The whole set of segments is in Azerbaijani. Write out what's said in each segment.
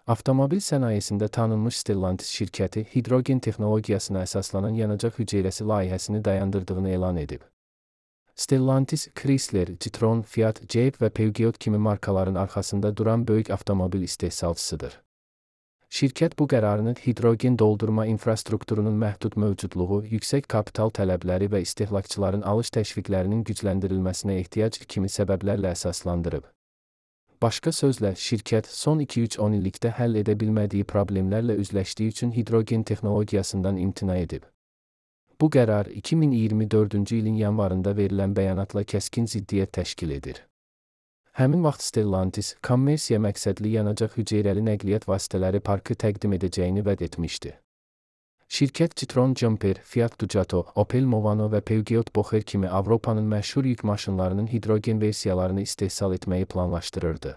Avtomobil sənayesində tanınmış Stellantis şirkəti hidrogen texnologiyasına əsaslanan yanacaq hüceyrəsi layihəsini dayandırdığını elan edib. Stellantis, Chrysler, Citroen, Fiat, Jeep və Peugeot kimi markaların arxasında duran böyük avtomobil istehsalçısıdır. Şirkət bu qərarını hidrogen doldurma infrastrukturunun məhdud mövcudluğu, yüksək kapital tələbləri və istehlakçıların alış təşviqlərinin gücləndirilməsinə ehtiyac kimi səbəblərlə əsaslandırıb. Başqa sözlə, şirkət son 2-3-10 illikdə həll edə bilmədiyi problemlərlə üzləşdiyi üçün hidrogen texnologiyasından imtina edib. Bu qərar 2024-cü ilin yanvarında verilən bəyanatla kəskin ziddiyyət təşkil edir. Həmin vaxt Stellantis, kommersiya məqsədli yanacaq hüceyrəli nəqliyyat vasitələri parkı təqdim edəcəyini vəd etmişdi. Şirkət Citroen Jumper, Fiat Ducato, Opel Movano və Peugeot Bocher kimi Avropanın məşhur yük maşınlarının hidrogen versiyalarını istehsal etməyi planlaşdırırdı.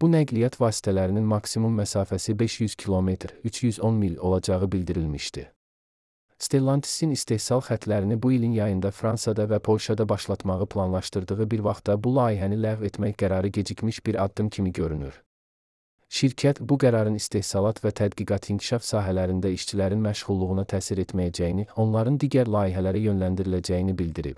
Bu nəqliyyat vasitələrinin maksimum məsafəsi 500 km, 310 mil olacağı bildirilmişdi. Stellantis'in istehsal xətlərini bu ilin yayında Fransada və Polşada başlatmağı planlaşdırdığı bir vaxtda bu layihəni ləğv etmək qərarı gecikmiş bir addım kimi görünür. Şirkət bu qərarın istehsalat və tədqiqat inkişaf sahələrində işçilərin məşğulluğuna təsir etməyəcəyini, onların digər layihələrə yönləndiriləcəyini bildirib.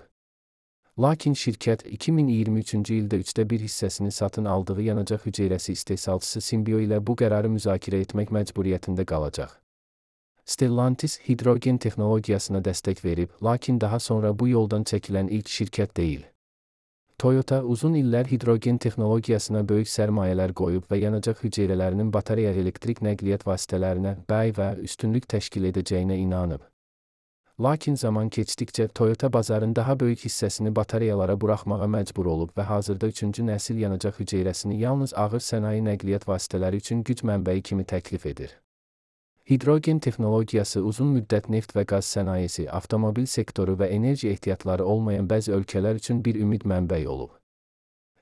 Lakin şirkət 2023-cü ildə 1/3 hissəsini satın aldığı yanacaq hüceyrəsi istehsalçısı Symbio ilə bu qərarı müzakirə etmək məcburiyyətində qalacaq. Stellantis hidrogen texnologiyasına dəstək verib, lakin daha sonra bu yoldan çəkilən ilk şirkət deyil. Toyota uzun illər hidrogen texnologiyasına böyük sərmayələr qoyub və yanacaq hüceyrələrinin batareya elektrik nəqliyyat vasitələrinə bəy və üstünlük təşkil edəcəyinə inanıb. Lakin zaman keçdikcə Toyota bazarın daha böyük hissəsini batareyalara buraxmağa məcbur olub və hazırda 3-cü nəsil yanacaq hüceyrəsini yalnız ağır sənaye nəqliyyat vasitələri üçün güc mənbəyi kimi təklif edir. Hidrogen texnologiyası uzun müddət neft və qaz sənayesi, avtomobil sektoru və enerji ehtiyatları olmayan bəzi ölkələr üçün bir ümid mənbəyi olub.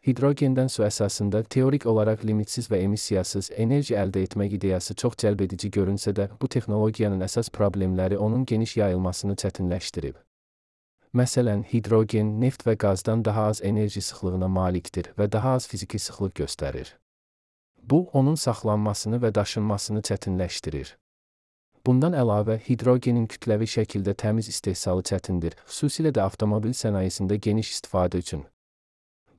Hidrogenden su əsasında teorik olaraq limitsiz və emissiyasız enerji əldə etmək ideyası çox cəlbedici görünsə də, bu texnologiyanın əsas problemləri onun geniş yayılmasını çətinləşdirib. Məsələn, hidrogen, neft və qazdan daha az enerji sıxlığına malikdir və daha az fiziki sıxlıq göstərir. Bu, onun saxlanmasını və daşınmasını çətinləşdirir. Bundan əlavə, hidrogenin kütləvi şəkildə təmiz istehsalı çətindir, xüsusilə də avtomobil sənayesində geniş istifadə üçün.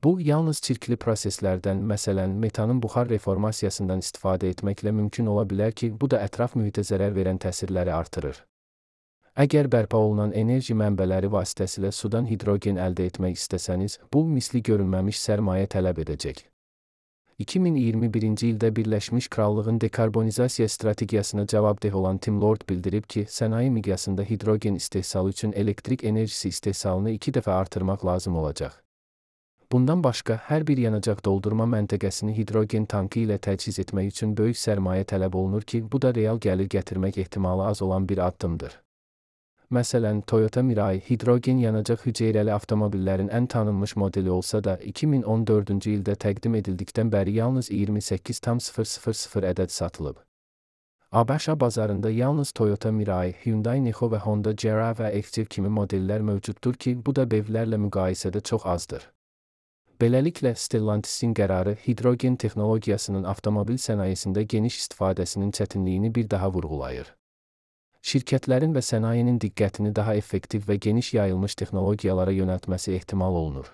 Bu, yalnız çirkli proseslərdən, məsələn, metanın buxar reformasiyasından istifadə etməklə mümkün ola bilər ki, bu da ətraf mühitə zərər verən təsirləri artırır. Əgər bərpa olunan enerji mənbələri vasitəsilə sudan hidrogen əldə etmək istəsəniz, bu, misli görülməmiş sərmayə tələb edəcək. 2021-ci ildə Birləşmiş Krallığın dekarbonizasiya strategiyasına cavabdeh olan Tim Lord bildirib ki, sənaye miqyasında hidrogen istehsalı üçün elektrik enerjisi istehsalını 2 dəfə artırmaq lazım olacaq. Bundan başqa, hər bir yanacaq doldurma məntəqəsini hidrogen tankı ilə təchiz etmək üçün böyük sərmayə tələb olunur ki, bu da real gəlir gətirmək ehtimalı az olan bir addımdır. Məsələn, Toyota Mirai hidrogen yanacaq hüceyrəli avtomobillərin ən tanınmış modeli olsa da, 2014-cü ildə təqdim edildikdən bəri yalnız 28,000 ədəd satılıb. ABŞ bazarında yalnız Toyota Mirai, Hyundai Nexo və Honda Jera və Active kimi modellər mövcuddur ki, bu da BEV-lərlə müqayisədə çox azdır. Beləliklə, Stellantis'in qərarı hidrogen texnologiyasının avtomobil sənayesində geniş istifadəsinin çətinliyini bir daha vurğulayır. Şirkətlərin və sənayenin diqqətini daha effektiv və geniş yayılmış texnologiyalara yönəltməsi ehtimal olunur.